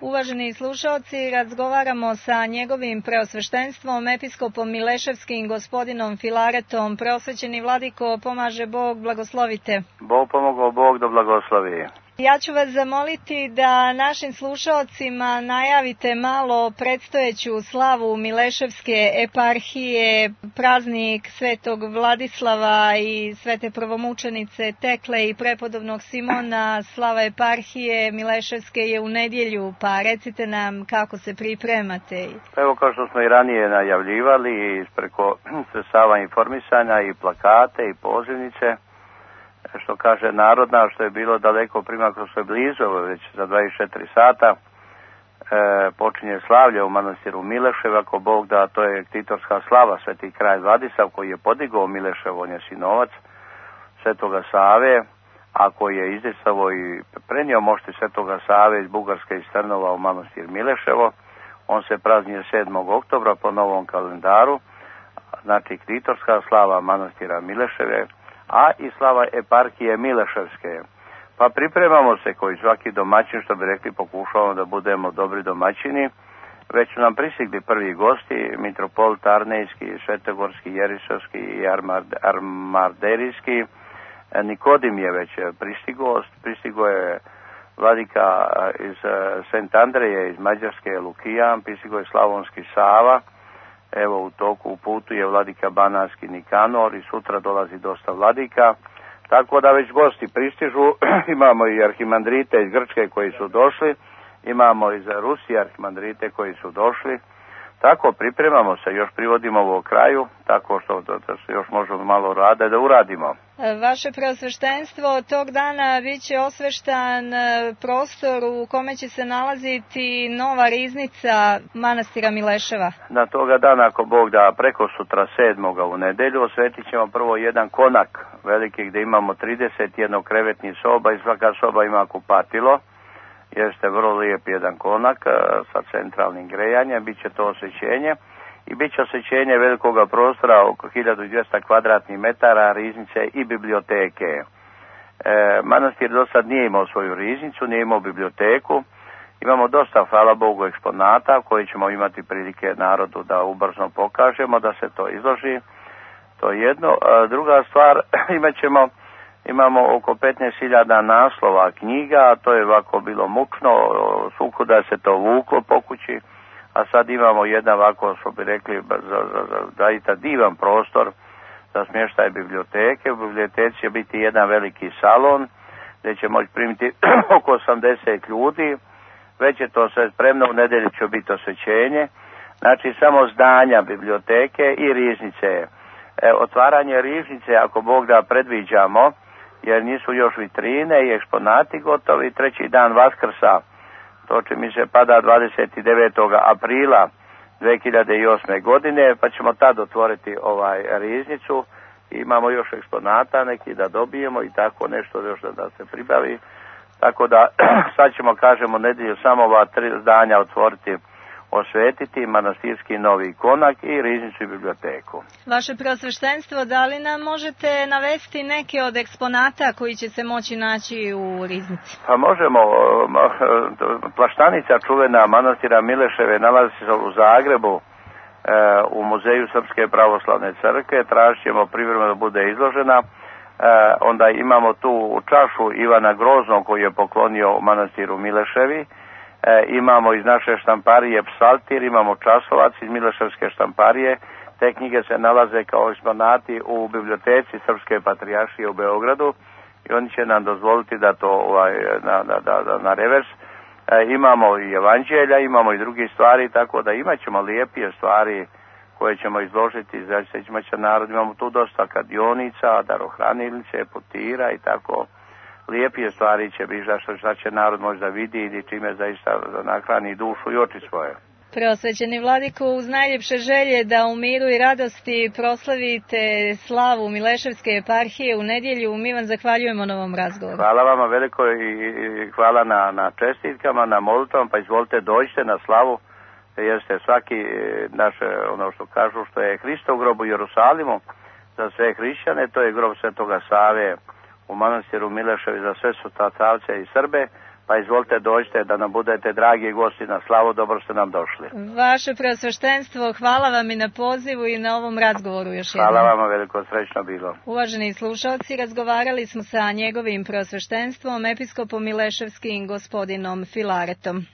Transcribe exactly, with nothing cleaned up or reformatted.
Uvaženi slušalci, razgovaramo sa njegovim preosveštenstvom, episkopom Mileševskim, gospodinom Filaretom. Preosvećeni vladiko, pomaže Bog, blagoslovite. Bog pomogao, Bog da blagoslovi. Ja ću vas zamoliti da našim slušalcima najavite malo predstojeću slavu Mileševske eparhije, praznik Svetog Vladislava i Svete prvomučenice Tekle i prepodobnog Simona. Slava eparhije Mileševske je u nedjelju, pa recite nam kako se pripremate. Evo, kao što smo i ranije najavljivali, preko sredstava informisanja i plakate i pozivnice, što kaže narodna, što je bilo daleko primaklo sve blizu, već za dvadeset četiri sata, e, počinje slavlje u manastiru Milešev, ako Bog da, to je titorska slava, sveti kralj Vladislav, koji je podigao Milešev, on je sinovac svetoga Save, a koji je izdesavo i prenio mošti svetoga Save iz Bugarske i Strnova u manastir Mileševo. On se praznije sedmog oktobra po novom kalendaru, znači titorska slava manastira Mileševe, a i slava eparhije Mileševske. Pa pripremamo se koji svaki domaćin, što bi rekli, pokušavamo da budemo dobri domaćini. Već su nam pristigli prvi gosti, mitropolit Arnejski, Svetogorski, Jerisovski i Armarderijski. Nikodim je već pristigo, pristigo je vladika iz Sent Andreje, iz Mađarske, Lukijan, pristigo je Slavonski Sava. Evo, u toku u putu je vladika Banatski Nikanor i sutra dolazi dosta vladika. Tako da već gosti pristižu. Imamo i arhimandrite iz Grčke koji su došli. Imamo iz Rusije arhimandrite koji su došli. Tako pripremamo se, još privodimo ovo kraju, tako što da se još možemo malo rade da uradimo. Vaše preosveštenstvo, tog dana bit će osveštan prostor u kome će se nalaziti nova riznica manastira Mileševa. Na toga dana, ako Bog da, preko sutra sedmoga u nedelju, osvetit ćemo prvo jedan konak veliki gdje imamo trideset jedan krevetnih soba i svaka soba ima kupatilo. Jeste vrlo lijep jedan konak sa centralnim grejanjem, bit će to osvećenje i bit će osvećenje velikoga prostora oko hiljadu dvjesto kvadratnih metara, riznice i biblioteke. E, manastir do sad nije imao svoju riznicu, nije imao biblioteku. Imamo dosta, hvala Bogu, eksponata koji ćemo imati prilike narodu da ubrzo pokažemo, da se to izloži. To je jedno. A druga stvar, imat ćemo Imamo oko petnaest hiljada naslova knjiga, a to je ovako bilo mučno, svukuda se to vuklo po kući, a sad imamo jedan ovako, što bi rekli, zaista divan prostor za smještaj biblioteke. U biblioteci će biti jedan veliki salon gdje će moći primiti oko osamdeset ljudi, već je to sve spremno, u nedjelju će biti osvećenje, znači samo zdanja biblioteke i riznice. E, otvaranje riznice, ako Bog da, predviđamo, jer nisu još vitrine i eksponati gotovi, treći dan Vaskrsa, to će mi se pada dvadeset devetog aprila dvije hiljade osme. godine, pa ćemo tad otvoriti ovaj riznicu. Imamo još eksponata neki da dobijemo i tako nešto još da, da se pribavi. Tako da sad ćemo, kažemo, nedjelju samo ova tri zdanja otvoriti, osvetiti, manastirski novi konak i riznicu i biblioteku. Vaše preosveštenstvo, da li nam možete navesti neke od eksponata koji će se moći naći u riznici? Pa možemo. Plaštanica čuvena manastira Mileševe nalazi se u Zagrebu, u Muzeju Srpske pravoslavne crkve. Tražit ćemo privremeno da bude izložena. Onda imamo tu čašu Ivana Groznog koji je poklonio manastiru Mileševi. E, imamo iz naše štamparije Psaltir, imamo časovac iz Mileševske štamparije. Te knjige se nalaze kao eksponati u biblioteci Srpske patrijaršije u Beogradu i oni će nam dozvoliti da to ovaj, na, na, na, na revers. E, imamo i evanđelja, imamo i drugi stvari, tako da imat ćemo lijepije stvari koje ćemo izložiti za imat će narod. Imamo tu dosta kadionica, darohranilnice, putira i tako. Lijepije stvari će biti, što, što će narod možda vidi ili čime zaista nahrani dušu i oči svoje. Preosvećeni vladiko, uz najljepše želje da u miru i radosti proslavite slavu Mileševske eparhije u nedjelju, mi vam zahvaljujemo na ovom razgovoru. Hvala vama veliko i hvala na, na čestitkama, na molitvom, pa izvolite dođite na slavu, jer ste svaki naš, ono što kažu, što je Hristov grob u Jerusalimu, za sve hrišćane, to je grob svetoga Save u manastiru Mileševi za sve su Tatavce i Srbe, pa izvolite dođite da nam budete dragi gosti na slavu, dobro ste nam došli. Vaše preosveštenstvo, hvala vam i na pozivu i na ovom razgovoru još jednom. Hvala vam, veliko srećno bilo. Uvaženi slušalci, razgovarali smo sa njegovim preosveštenstvom, episkopom Mileševskim gospodinom Filaretom.